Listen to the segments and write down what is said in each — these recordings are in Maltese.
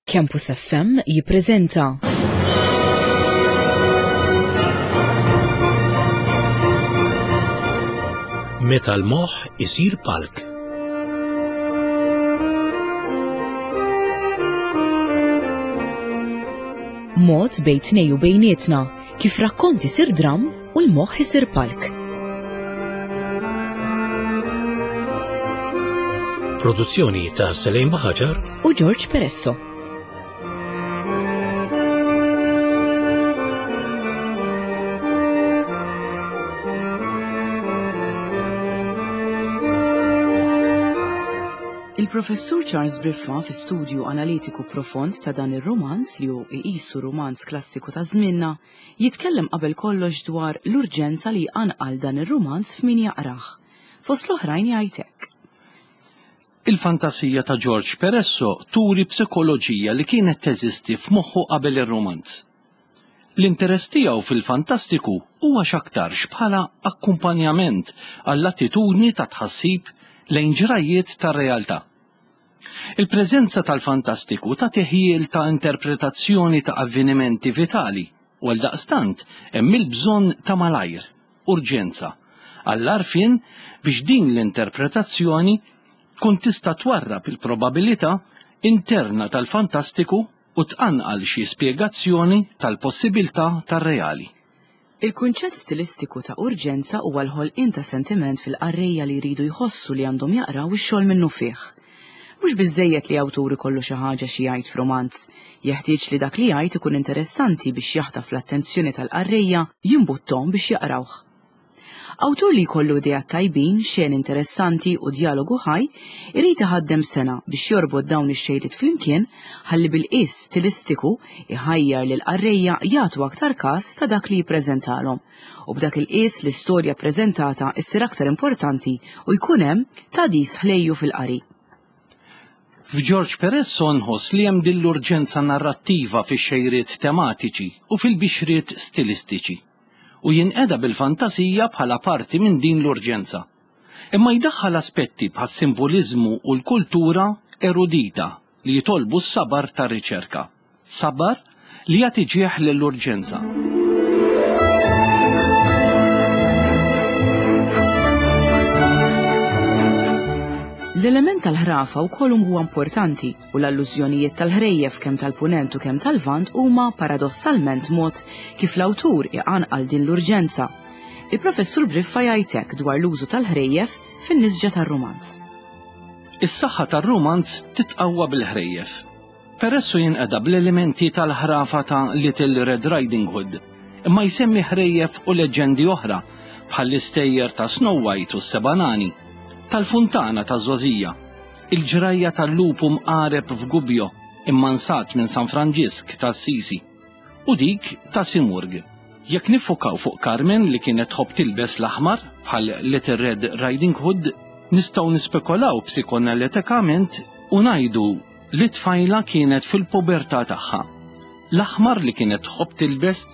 Campus FM jippreżenta. Meta l-moħħ isir palk. Mod bejn tnej u bejnietna kif rakkont isir dramm u l-moħħ isir palk. Produzzjoni ta' Selejn Baħaġar u George Peresso. Il-Professur Charles Briffa fi studju analitiku profond ta' dan ir-rumanz li hu iqisu rumanz klassiku ta' żmienna, Jitkellem qabel kollox dwar l-urġenza li jqanqal dan ir-rumanz f'min jaqrah. Fost l-oħrajn jgħid hekk. Il-fantasija ta' George Peresso turi psikoloġija li kienet teżisti f'moħħu qabel ir-rumanz. L-interess tiegħu fil-fantastiku huwa x'aktarx bħala akkumpanjament għall-attitudni ta' tħassib lejn ġrajjiet tar-realtà. Il-preżenza tal-fantastiku tagħti ħjiel ta' interpretazzjoni ta' avvenimenti vitali u għaldaqstant hemm il-bżonn ta' malajr, urġenza, għall-għarfien biex din l-interpretazzjoni tkun tista' twarrab il-probabilità interna tal-fantastiku u tqanqal xi spjegazzjoni tal-possibilità tar-reali. Il-kunċett stilistiku ta' urġenza huwa l-ħolqien ta' sentiment fil-qarrejja li jridu jħossu li għandhom jaqraw ix-xogħol minnufih. Mhux biżżejjed li awtur ikollu xi ħaġa xi jgħid f'rumanz. Jeħtieġ li dak li jgħid ikun interessanti biex jaħtaf l-attenzjoni tal-qarrejja, jimbutthom biex jaqrawh. Awtur li jkollu ideat tajbin, xeni interessanti u djalogu ħaj, irid iħaddem sengħa biex jorbot dawn ix-xejriet flimkien ħalli bil-qies stilistiku iħajjar lill-qarrejja jagħtu aktar kas ta' dak li jippreżentalhom u b'dak il-qies l-istorja ppreżentata ssir aktar importanti u jkun hemm tagħdis ħlejju fil-qari. F'George Peresso nħoss li hemm din l-urġenza narrattiva fix-xejriet tematiċi u fil-bixriet stilistiċi. u jinqeda bil-fantasija bħala parti minn din l-urġenza. Imma jdaħħal aspetti bħas-simboliżmu u l-kultura erudita li jitolbu s-sabar tar-riċerka. Sabar li jagħti ġieħ lill-urġenza. L-element tal-ħrafa wkoll huwa importanti u l-allużjonijiet tal-ħrejjef kemm tal-Punent u kemm tal-Lvant huma paradossalment mod kif l-awtur iqanqal din l-urġenza. Il-Professur Briffa jgħid hekk dwar l-użu tal-ħrejjef fin-nisġa tar-rumanz. Is-saħħa tar-rumanz titqawwa bil-ħrejjef. Peressu jinqeda bl-elementi tal-ħrafa ta' Little Red Riding Hood, imma jsemmi ħrejjef u leġġendi oħra bħall-istejjer ta' Snow White u s-Seba' Nani, tal-Funtana taż-Żgħożija, Il-ġrajja tal-lupu mqareb f'Gubbio, immansat minn San Franġisk ta' Assisi, u dik ta' Simurg. Jekk niffukaw fuq Carmen li kienet tħobb tilbes l-aħmar, bħal Little Red Riding Hood, nistgħu nispekolaw psikonalitikament u ngħidu li t-tfajla kienet fil-pubertà tagħha. L-aħmar li kienet tħobb tilbes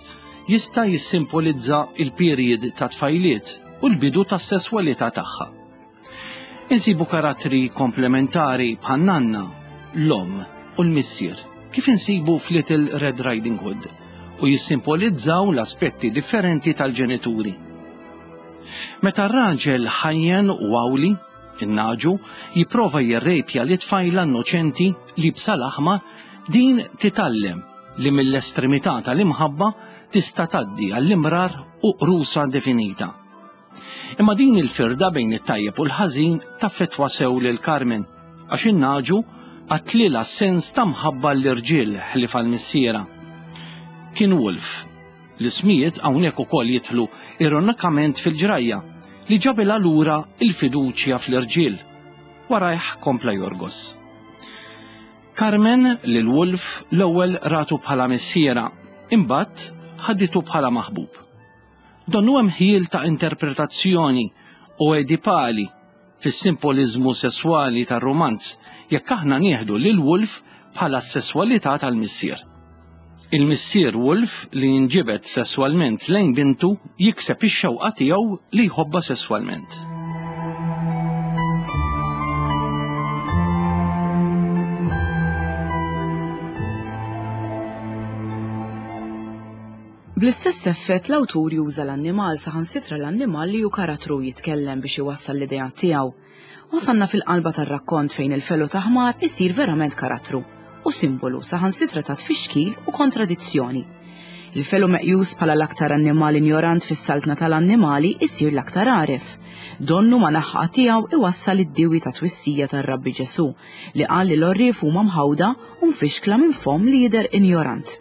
jista' jissimpolizza l-period tat-tfajliet u l-bidu tas-sesswalità tagħha. Insibu karattri komplementari bħan-nanna, l-omm u l-missier, kif insibu f'Little Red Riding Hood, u jissimpolizzaw l-aspetti differenti tal-ġenituri. Meta r-raġel ħajjen u għawli, in-naġu, jipprova jirrejpja li tfajla innoċenti li b'sal-aħmar, din titgħallem li mill-estremità tal-imħabba tista' tgħaddi għall-imrar u qrusa definita. Imma din il-firda bejn it-tajjeb u l-ħażin taffettwa sew lil Carmen, għax in-nagħġu qatlilha s-sens ta' mħabba l-irġiel ħlief għal missierha. Kien Wolf. L-ismijiet hawnhekk ukoll jidħlu ironikament fil-ġrajja li ġabilha lura l-fiduċja fl-irġiel. Warajh kompla jorgos. Carmen lil Wolf l-ewwel ratu bħala missierha, imbagħad ħaditu bħala maħbub. Donnu hemm ħjiel ta' interpretazzjoni oedipali fis-simboliżmu sesswali tar-rumanz jekk aħna nieħdu lil Wolf bħala s-sesswalità tal-missier. Il-missier Wolf li jinġibed sesswalment lejn bintu jikseb ix-xewqa tiegħu li jħobbha sesswalment. Bl-istess effett l-awtur juża l-annimal saħansitra l-annimal li hu karattru jitkellem biex iwassal l-ideat tiegħu. Wasalna fil-qalba tar-rakkont fejn il-felu ta' ħmar isir verament karattru u simbolu saħansitra ta' tfixkil u kontradizzjoni. Il-felu meqjus bħala l-aktar annimal injorant fis-saltna tal-annimali isir l-aktar għaref. Donnu ma naħqa tiegħu iwassal id-diwi ta' twissija tar-Rabbi Ġesu li qal li l-għorrief huma mħawda u mfixkla minn fomm li jidher injorant.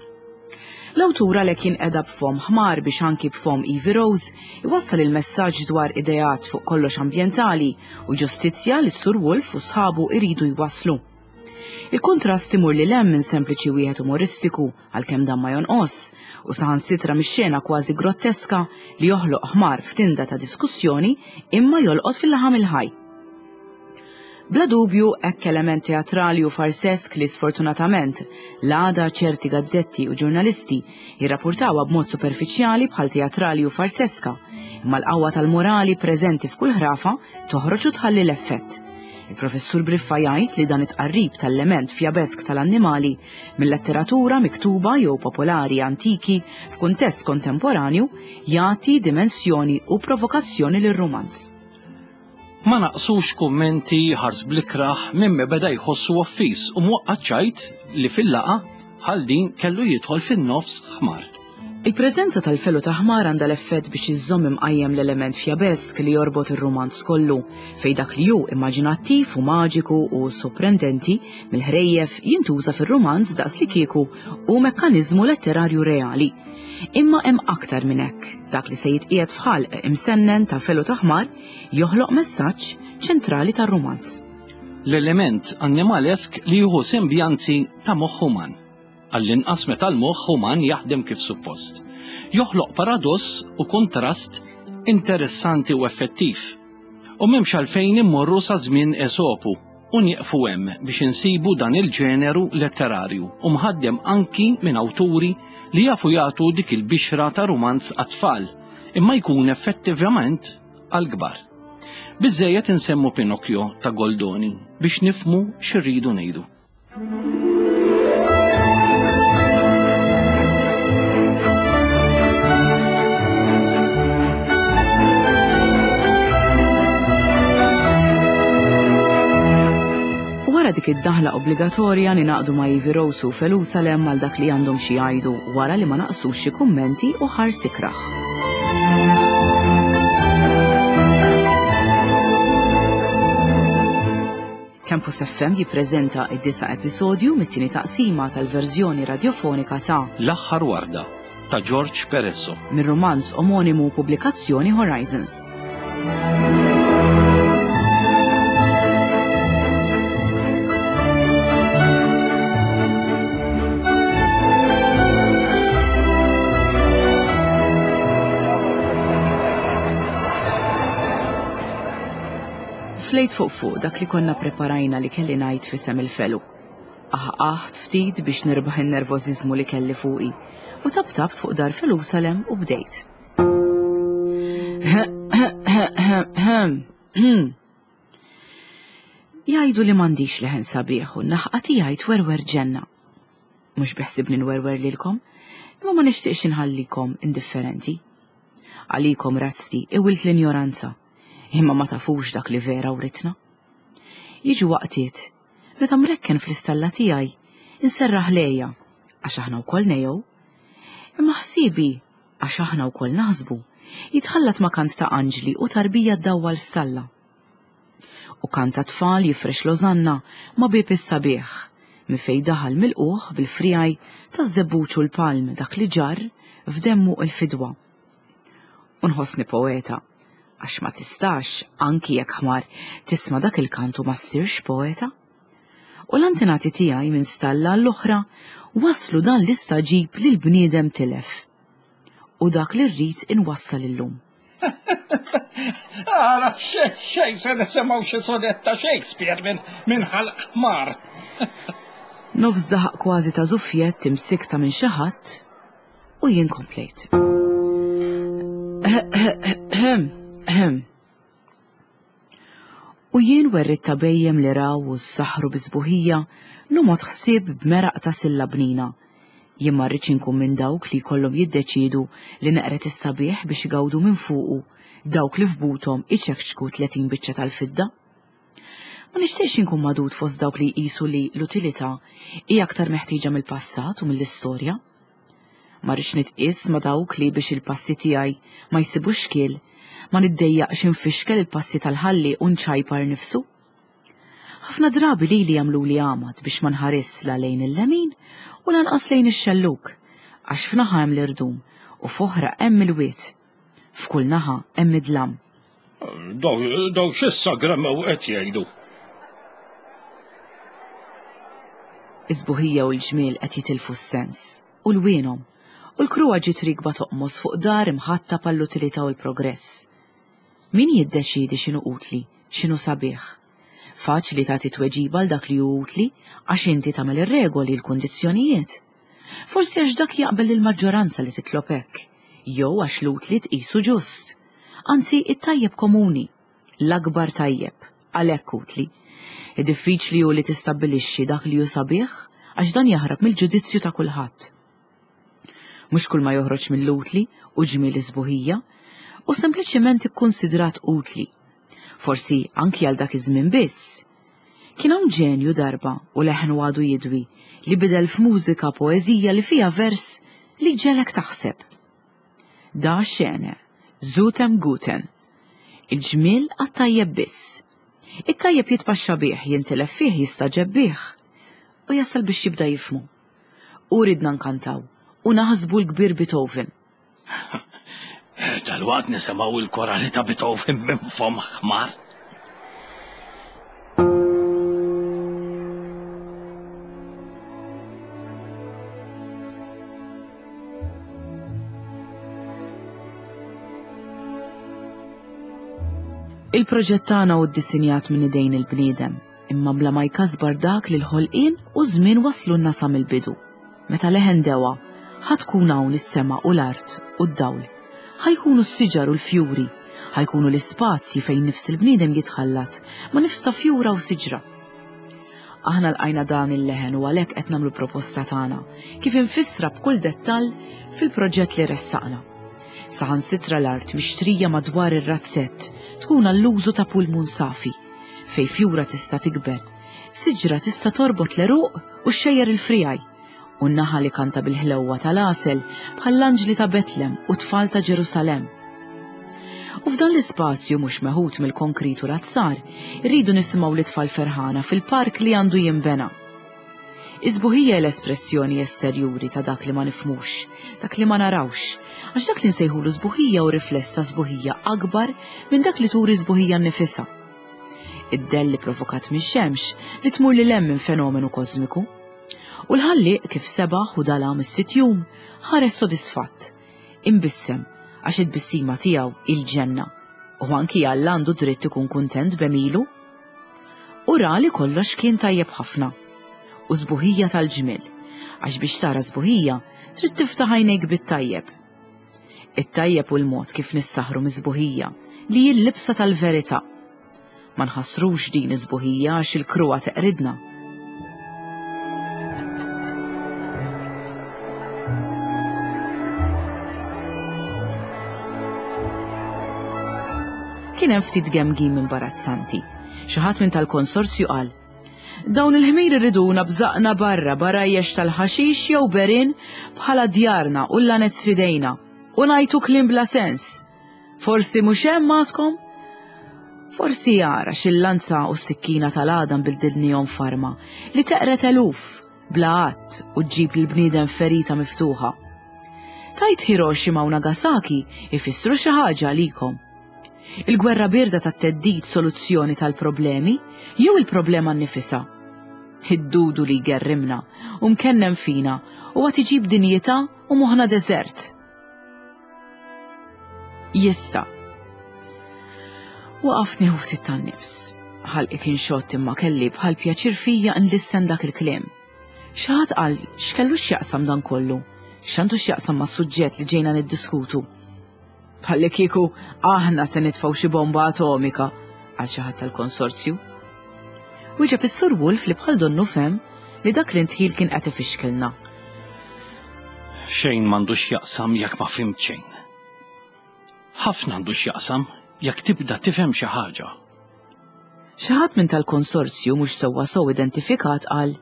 L-awtur għalhekk jinqeda b'fomm ħmar biex anki b'fomm Evie Rose iwassal il-messaġġ dwar ideat fuq kollox ambjentali u ġustizzja li s-Sur Wolf u sħabu iridu jwasslu. Il-kuntrast imur lil hemm minn sempliċi wieħed umoristiku għalkemm dan ma jonqos u saħansitra mix-xena kważi grotteska li joħloq ħmar f'tinda ta' diskussjoni imma jolqot fil-laħam il-ħaj. Bla dubju hekk element teatrali u farsesk li sfortunatament l-għada ċerti gazzetti u ġurnalisti jirrapurtawha b'mod superfiċjali bħal teatrali u farseska, imma l-qawwa tal-morali preżenti f'kull ħrafa toħroġ u tħalli l-effett. Il-professur Briffa jgħid li dan it-tqarrib tal-element fjabesk tal-annimali mil-letteratura miktuba jew popolari antiki f'kuntest kontemporanju jagħti dimensjoni u provokazzjoni lir-rumanz. Ma naqsux kummenti ħars bl-ikrah minn min beda jħossu offiż u mwaqqa' ċajt li fil-laqgħa bħal din kellu jidħol fin-nofs ħmar. Il-preżenza tal-felu ta' ħmar għandha l-effett biex iżżomm imqajjem l-element fjabesk li jorbot ir-rumanz kollu, fejn dak li hu immaġinattiv u maġiku u soprendenti mill-ħrejjef jintuża fir-rumanz daqslikieku hu mekkaniżmu letterarju reali. Imma hemm aktar minn hekk, dak li se jitqiegħed f'ħalq imsennen ta' felu ta' ħmar joħloq messaġġ ċentrali tar-rumanz. L-element annimalesk li jieħu sembjanzi ta' moħħ uman, għall-inqas meta l-moħħ uman jaħdem kif suppost, joħloq paradoss u kuntrast interessanti u effettiv. U m'hemmx għalfejn immorru sa żmien Esopu u nieqfu hemm biex insibu dan il-ġeneru letterarju u mħaddem anki minn awturi li jafu jagħtu dik il-bixra ta' rumanz għat-tfal imma jkun effettivament għall-kbar. Biżżejjed insemmu Pinocchio ta' Goldoni biex nifhmu x'irridu ngħidu. Wara dik id-daħla obbligatorja ninaqdu ma' Ivy Rose u Felusalem għal dak li għandhom xi jgħidu wara li ma naqsux xi kummenti u ħars ikrah. Campus FM jippreżenta id-disa' episodju mit-tieni taqsima tal-verżjoni radjofonika ta' L-aħħar warda ta' George Peresso. Mir-rumanz omonimu pubblikazzjoni Horizons. Flejt fuq fuq dak li konna preparajna li kelli ngħid f'isem il-felu. Aħqaħt ftit biex nirbaħ in-nervożiżmu li kelli fuqi u taptabt fuq dar Felusalem u bdejt. Jgħidu li m'għandix leħen sabiħ u n-naħqa tiegħi twerwer ġenna. Mhux biħsibni nwerwer lilkom, imma ma nixtieqx inħallikom indifferenti. Għalikom razzti iwilt l-injoranza Imma ma tafux dak li vera writna. Jiġu waqtiet meta mrekken fl-istalla tiegħi inserraħ lejja għax aħna wkoll nejjew. Imma ħsiebi għax aħna wkoll naħsbu jitħallat ma' kant ta' anġli u tarbija ddawwal stalla. U kant ta' tfal jifrex l-ożanna ma' bieb is-sabiħ minn fejn daħal milqugħ bil-friegħi taż-żebbuġ u l-palm dak li ġarr f'demmu l-fidwa. U nħossni poeta, għax ma tistax, anki jekk ħmar, tisma' dak il-kant u ma ssirx poeta. U l-antenati tiegħi minn stalla għall-oħra wasslu dan l-istagħġib li l-bniedem tilef. U dak li rrid inwassal illum. Ara, xejn se nisimgħu xi sonett ta' Shakespeare minn min ħalq ħmar. Nofs daħaq kważi ta' żuffjett imsikta minn xi ħadd U jien komplejt. U jien werrit ta' bejjem li raw u s-saħru bisbuħija nomot ħsieb b'meraq ta' silla bnina. Jien ma rridx inkun minn dawk li jkollhom jiddeċiedu li neqred is-sabiħ biex igawdu minn fuqu dawk li f'buthom iċekċku 30 biċċa tal-fidda. Ma nixtieqx inkun magħdud fost dawk li jqisu li l-utilità hi aktar meħtieġa mill-passat u mill-istorja. Ma rridx nitqies ma' dawk li biex il-passi tiegħi ma jsibux xkiel, ma niddejjaqx infixkel il-passi tal-ħallieq u nċajpar nifsu. Ħafna drabi lili jagħmluli għamad biex ma nħarisx la lejn il-lemin u lanqas lejn ix-xellug, għax f'naħa hemm l-irdum u f'oħra hemm il-wied. F'kull naħa hemm id-dlam. Daw x'issa gremmew qed jgħidu? Is-sbuħija u l-ġmiel qed jitilfu s-sens u lwienhom, u l-kruha ġiet rikba toqmos fuq dar imħatta għall-utilità u l-progress. Min jiddeċiedi x'inhu utli, x'inhu sabiħ? Faċli tagħti tweġiba għal dak li hu utli għax inti tagħmel ir-regoli, l-kundizzjonijiet. Forsi għax dak jaqbel lill-maġġoranza li titlob hekk, jew għax l-utli tqisu ġust. Anzi, it-tajjeb komuni, l-akbar tajjeb, għalhekk utli. Diffiċli hu li tistabbilixxi dak li hu sabiħ għax dan jaħrab mill-ġudizzju ta' kulħadd. Mhux kull ma joħroġ mill-utli u ġmiel is-sbuħija, hu sempliċement ikkunsidrat utli. Forsi anki għal dak iż-żmien biss. Kien hawn ġenju darba u leħnu għadu jidwi li bidel f'mużika poeżija li fiha vers li jġegħlek taħseb. Da schöne, zutem guten. Il-ġmiel għat-tajjeb biss. It-tajjeb jitpaxxa bih, jintilef fih, jistagħġeb bih. U jasal biex jibda jifhmu. U ridna nkantaw u naħsbu l-kbir Beethoven. Dalwaqt nisimgħu il-korali ta' Beethoven minn fomm ħmar. Il-proġett tagħna hu ddisinjat minn idejn il-bniedem. imma bla ma jkasbar dak li l-ħolqien u ż-żmien waslulna sa mill-bidu. Meta leħen dewa, ħa tkun hawn is-sema u l-art u d-dawl. Ħa jkunu s-siġar u l-fjuri, ħa jkunu l-ispazji fejn nifs il-bniedem jitħallat ma' nifs ta' fjura u siġra. Aħna lqajna dan il-leħen u għalhekk qed nagħmlu proposta tagħna, kif imfissra b'kull dettall fil-proġett li ressaqna. Saħansitra l-art mixtrija madwar ir-razzett tkun għall-użu ta' pulmun safi. Fejn fjura tista' tikber, siġra tista' torbot l-għeruq u xxejjer il-friegħi, u n-naħal ikanta bil-ħlewwa tal-għasel bħall-anġli ta' Betlem u t-tfal ta' Ġerusalemm. U f'dan l-ispazju mhux meħud mill-konkrit u l-azzar, irridu nisimgħu lit-tfal ferħana fil-park li għandu jinbena. Is-sbuħija hi l-espressjoni esterjuri ta' dak li ma nifhmux, dak li ma narawx, għax dak li nsejħulu sbuħija hu rifless ta' sbuħija akbar minn dak li turi sbuħija nnifisha. Id-dell li provokat mix-xemx li tmur lil hemm minn fenomenu kosmiku. U l-ħallieq kif sebaħ u dalam is-sitt jum ħares sodisfatt, imbissem għax it-tbissima tiegħu hi l-ġenna. U anki Alla għandu dritt ikun kuntent b'għemilu. U ra li kollox kien tajjeb ħafna. U sbuħija tal-ġmiel, għax biex tara sbuħija trid tiftaħ għajnejk bit-tajjeb. It-tajjeb hu l-mod kif nissaħħru mis-sbuħija, li hi l-libsa tal-verità. Ma nħassrux din is-sbuħija għax il-kruha teqridna. Kien hemm ftit gemgim imbarazzanti. Xi ħadd minn tal-konsorzju qal, Dawn il-ħmir iriduna bżaqna barra barajjex tal-ħaxix jew berin bħala djarna u l-lanez f'idejna u ngħajtu kliem bla sens. Forsi mhux hemm għadkom? Forsi jara xil-lanza u s-sikkina tal-għadam bildilnihom f'arma li teqred eluf bla għadd u ġġib lill-bniedem ferita miftuħa. Tajt Hiroshima u Nagasaki ifissru xi ħaġa għalikom. Il-gwerra bierda tat-theddid soluzzjoni tal-problemi jew il-problema nnifisha? Id-dudu li jgerrimna u mkennem fina u għad iġib dinjità u moħħna deżert. Jista'. Waqaft nieħu ftit tan-nifs. Ħalqi kien xott imma kelli bħal pjaċir fija nlissen dak il-kliem. Xi ħadd qal x'kellu x'jaqsam dan kollu? X'għandu x'jaqsam mas-suġġett li ġejna niddiskutu? Bħalli kieku aħna se nitfgħu xi bomba atomika għal xi ħadd tal-konsorzju. Wieġeb is-Sur Wolf li bħal donnu fem li dak l-intħil kien qed ifixkilna. Xejn m'għandu x'jaqsam jekk ma fhimt xejn. Ħafna għandu x'jaqsam jekk tibda tifhem xi ħaġa. Xi ħadd minn tal-konsorzju mhux sewwa sew identifikat qal,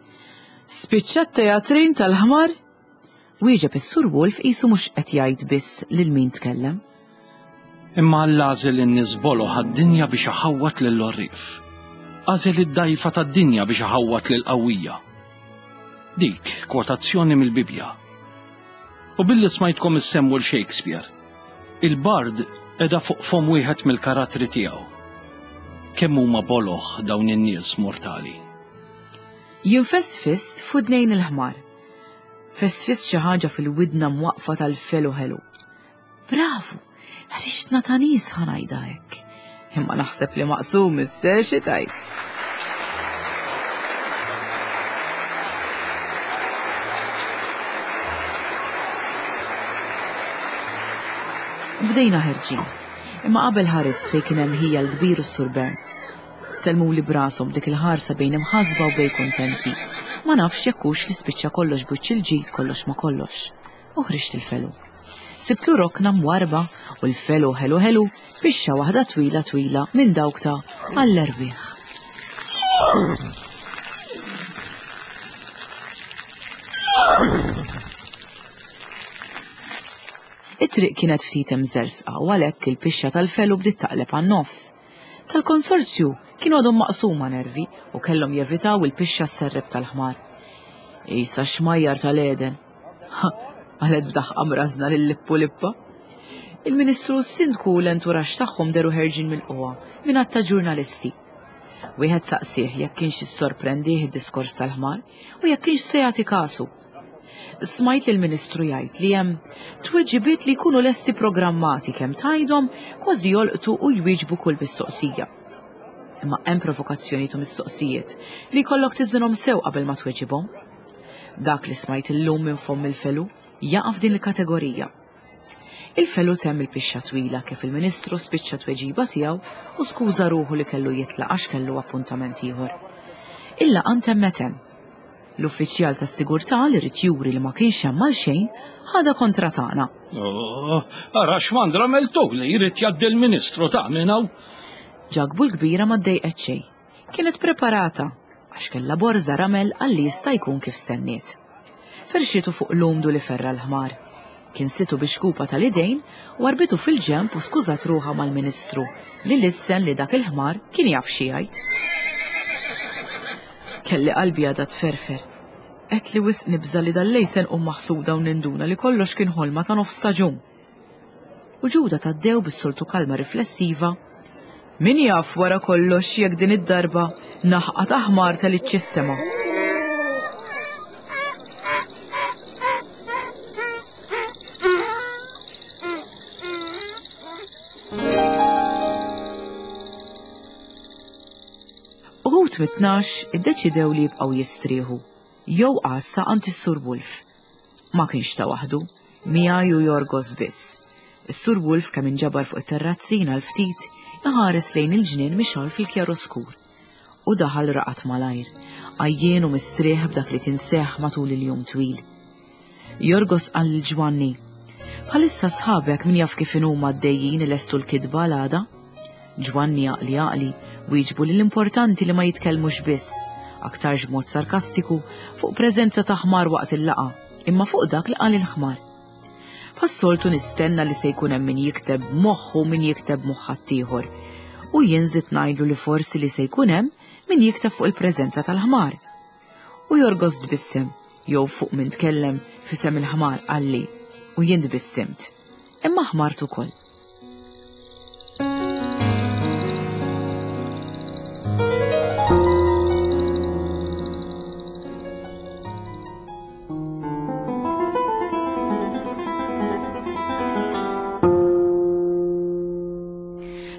Spiċċat teatrin tal-ħmar? Wieġeb is-Sur Wolf qisu mhux qed jgħid biss lil min tkellem. Imma Alla għażel in-nies boloh għad-dinja biex iħawwad lill-għorrief. Għażel id-dgħajfa tad-dinja biex iħawwad lill-qawwija. Dik kwotazzjoni mill-Bibbja. U billi smajtkom issemmu l-Shakespeare, il-bard qiegħda fuq fomm wieħed mill-karattri tiegħu. Kemm huma boloh dawn in-nies mortali. Jien fesfist f'widnejn il-ħmar. Fesfist xi ħaġa fil-widna mwaqqfa tal-felu ħelu. Bravu! Ħriġtna ta' nies ħa ngħidha hekk. Imma naħseb li maqsum isse xi tajt. Bdejna ħerġin. Imma qabel ħarist fejn kien hemm ħija l-kbir u s-Sur Bern. Sellmuli b'rashom b'dik il-ħarsa bejn imħassba u bejn kuntenti. Ma nafx jekk hux li spiċċa kollox b'wiċċ il-ġid kollox ma kollox. U ħriġt il-felu. Sibtlu rokna mwarrba u l-felu ħelu ħelu bixxa waħda twila twila minn dawk ta' għall-erwieħ. It-triq kienet ftit imżersqa u għalhekk il-pixxa tal-felu bdiet taqleb għan-nofs. Tal-konsorzju kienu għadhom maqsuma nervi u kellhom jevitaw il-pixxa sserrep tal-ħmar. Isa xmajjar tal-Eden. Qalet b'daħqa mrażna lil Lippu Lippa. Il-Ministru u s-Sindku u l-enturax tagħhom deru ħerġin mill-qwa minn għadd ta' ġurnalisti. Wieħed saqsieh jekk kienx issorprendih id-diskors tal-ħmar u jekk kienx se jagħti kasu. Smajt lill-Ministru jgħid li hemm tweġibiet li jkunu lesti programmati kemm tgħidhom kważi jolqtu u jwieġbu kull mistoqsija. Imma hemm provokazzjonijiet u mistoqsijiet li jkollok tiżinhom sew qabel ma tweġibhom. Dak li smajt illum minn fomm il-felu jaqa' f'din il-kategorija. Il-felu temm il-pixxa twila kif il-Ministru spiċċa tweġiba tiegħu u skuża ruħu li kellu jitlaq għax kellu appuntament ieħor. Il-laqgħa ntemmet hemm. L-uffiċjal tas-sigurtà li ried juri li ma kienx hemm għal xejn ħadha kontra tagħna. Oh, ara x'mandra meltu li jrid jgħaddi l-Ministru ta' minn hawn. Ġakbu l-kbira ma ddejqet xejn. Kienet preparata għax kellha borża ramel għal li jista' jkun kif stenniet. Ferxitu fuq l-umdu li ferra l-ħmar. Kinsitu bi xkupa tal-idejn, warbitu fil-ġenb u skużat ruħha mal-Ministru li lissen li dak il-ħmar kien jaf xi jgħid. Kelli qalbi għadha tferfer. Għedt li wisq nibża' li dal-lejl se nqum maħsuda u ninduna li kollox kien ħolma ta' nofs staġun. U Ġuda Taddew bis-soltu kalma riflessiva, Min jaf wara kollox jekk din id-darba naħqa ta' ħmar telitx is-sema. Uħud mit-tnax iddeċidew li jibqgħu jistrieħu jew għassa għand is-Sur Wolf. Ma kienx ta' waħdu, miegħi u Jorgos biss. Is-Sur Wolf kemm inġabar fuq it-terrazzina għal ftit, iħares lejn il-ġnien mixgħul fil-kjaroskur. U daħal raqad malajr, għajjien u mistrieħ b'dak li kien seħħ matul il-jum twil. Jorgos qal lil Ġwanni, Bħalissa sħabek min jaf kif inhuma għaddejjin ilestu l-kitba għal għada? Ġwanni għaqli għaqli wieġbu li l-importanti li ma jitkellmux biss, aktarx b'mod sarkastiku, fuq preżenza ta' ħmar waqt il-laqgħa, imma fuq dak li qal il-ħmar. Bħas-soltu nistenna li se jkun hemm min jikteb b'moħħu u min jikteb b'moħħ ħaddieħor. U jien żidt ngħidlu li forsi li se jkun hemm min jikteb fuq il-preżenza tal-ħmar. U Jorgos tbissem, jew fuq min tkellem f'isem il-ħmar qalli, u jien tbissimt. Imma ħmart ukoll.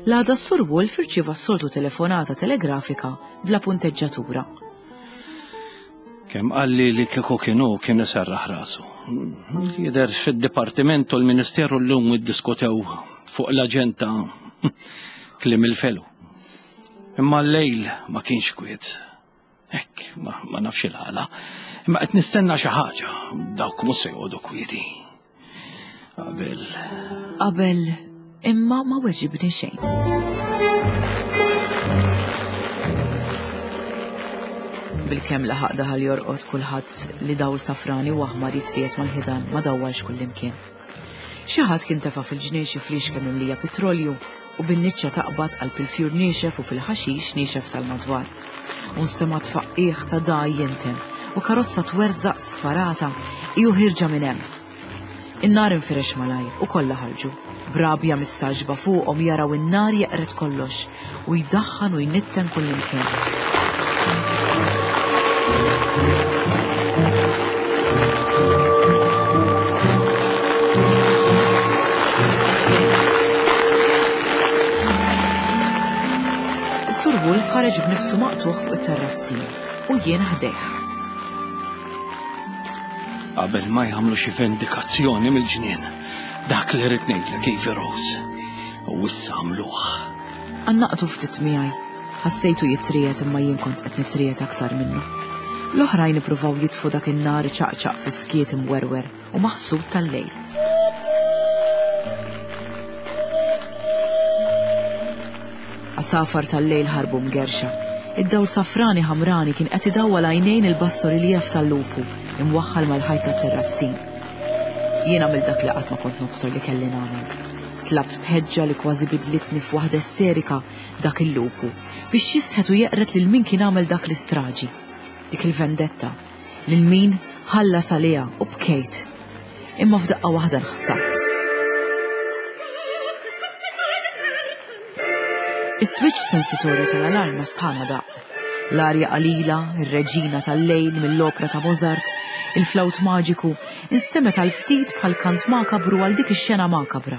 L-għada s-Sur Wolf irċieva s-soltu telefonata telegrafika bla punteġġatura. Kemm qalli li kieku kien hu kien iserraħ rasu. Jidher fid-dipartiment u l-Ministeru llum iddiskutew fuq l-aġenda kliem il-felu. Imma l-lejl ma kienx kwiet. Hekk, ma, ma nafx il-għala. Imma qed nistenna xi ħaġa, dawk mhux se joqogħdu kwieti. Qabel. Qabel imma ma weġibni xejn. Bilkemm laħaq daħal jorqod kulħadd li dawl safrani u aħmar jitriet mal-ħidan ma dawwalx kullimkien. Xi ħadd kien tefa' fil-ġnien xi flixke mimlija pitrolju u bin-niċċa taqbad qalb il-fjur niexef u fil-ħaxix niexef tal-madwar. U nstema' tfaqqigħ ta' dagħaj jinten u karozza twerżaq sparata hi u ħierġa minn hemm. In-nar infirex malajr u kollha ħarġu, b'rabja mistagħġba fuqhom jaraw in-nar jeqred kollox u jdaħħan u jnitten kullimkien. Is-Sur Wolf ħareġ b'nifsu maqtugħ fuq it-terrazzin u jien ħdejh. Qabel ma jagħmlu xi vendikazzjoni mill-ġnien, dak li rrid ngħidlek Ivy Rose. U issa għamluh. Għannaqtu ftit miegħi. Ħassejtu jitriegħed imma jien kont qed nitriegħed aktar minnu. L-oħrajn ippruvaw jitfu dak in-nar iċaqċaq fis-skiet imwerwer u maħsud tal-lejl. Għasafar tal-lejl ħarbu mgerrxa. Id-dawl safrani ħamrani kien qed idawwal għajnejn il-bassoriljev tal-lupu imwaħħal mal-ħajt tat-terrazzin. Jien għamilt dak li qatt ma kont nobsor li kelli nagħmel. Tlabt b'ħeġġa li kważi bidlitni f'waħda esterika dak il-lupu biex jisħet u jeqred lil min kien għamel dak l-istraġi, dik il-vendetta, lil min ħallas għaliha u bkejt. Imma f'daqqa waħda nħsadt. Is-switch sensitorju tal-alarm sħana daqq. L-arja qalila, ir-reġina tal-lejl mill-opra ta' Mozart, il-flawt maġiku, instemet għal ftit bħal kant makabru għal dik ix-xena makabra.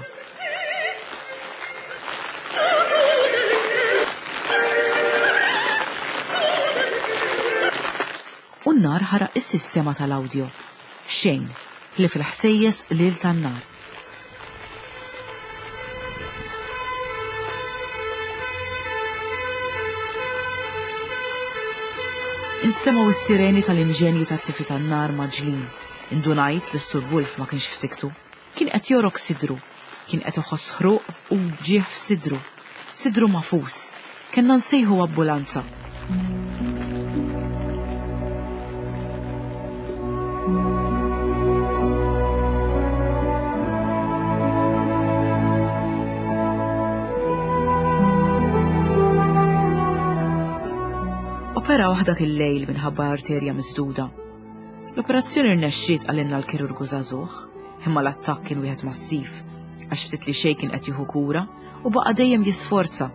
U n-nar ħaraq is-sistema tal-awdjo. Xejn, ħlief il-ħsejjes qliel tan-nar. Instemgħu s-sireni tal-inġenji tat-tifi tan-nar mgħaġġlin. Indunajt li s-Sur Wolf ma kienx f'siktu. Kien qed jogħrok sidru. Kien qed iħoss ħruq u wġigħ f'sidru. Sidru magħfus. Kellna nsejħu ambulanza. Operawh dak il-lejl minħabba arterja misduda. L-operazzjoni rnexxiet qalilna l-kirurgu żagħżugħ, imma l-attakk kien wieħed massiv, għax ftit li xejn kien qed jieħu kura u baqa' dejjem jisforza.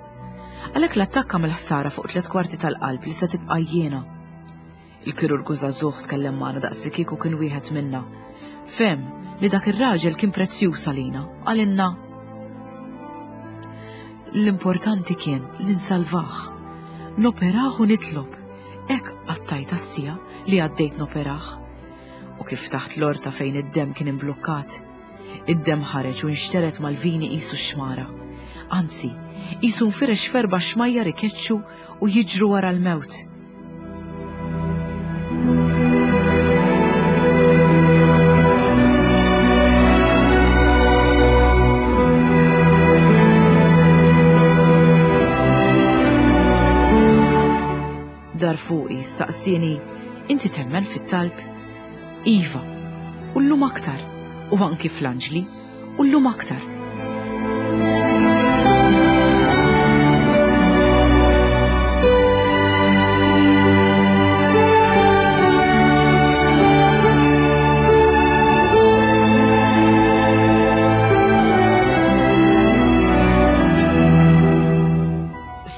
Għalhekk l-attakk għamel ħsara fuq tliet kwarti tal-qalb li se tibqa' jiena. Il-kirurgu żagħżugħ tkellem magħna daqs li kieku kien wieħed minna. Fehem li dak ir-raġel kien prezzjuż għalina, qalilna L-importanti kien li nsalvah. Noperah u nitlob. Hekk qattajt għas-siegħa li għaddejt noperah. U kif ftaħt l-orta fejn id-demm kien imblukkat, id-demm ħareġ u nxtered mal-vini qisu xmara. Anzi, qisu nfirex f'erba' xmajjar ikeċċu u jiġru wara l-mewt. Dar fuqi staqsieni, inti temmen fit-talb? Iva, u llum aktar, u anki fl-anġli, u llum aktar.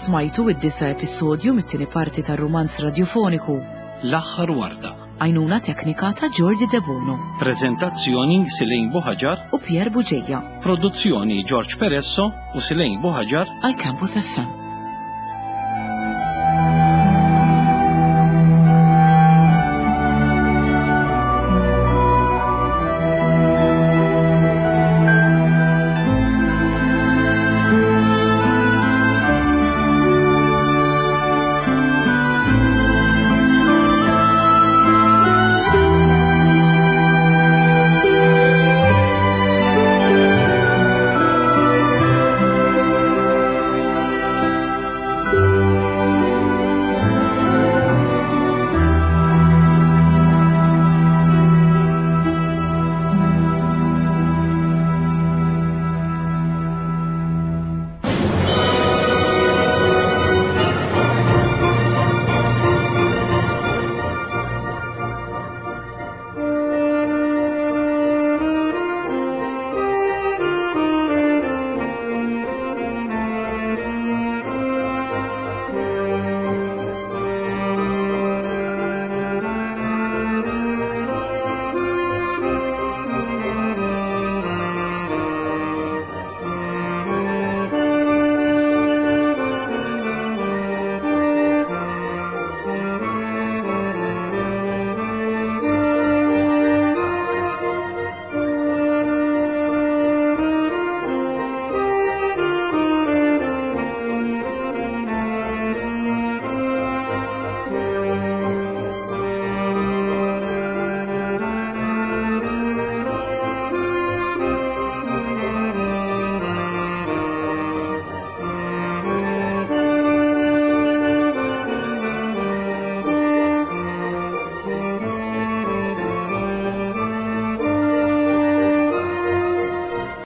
Smajtu id-disa episodju mit-tieni parti tar-rumanz radjofoniku L-aħħar warda. Għajnuna teknika ta' Jordi Debono. Preżentazzjoni Silejn Buħaġar u Pier Buġeja. Produzzjoni George Peresso u Silejn Buħaġar għal Campus FM.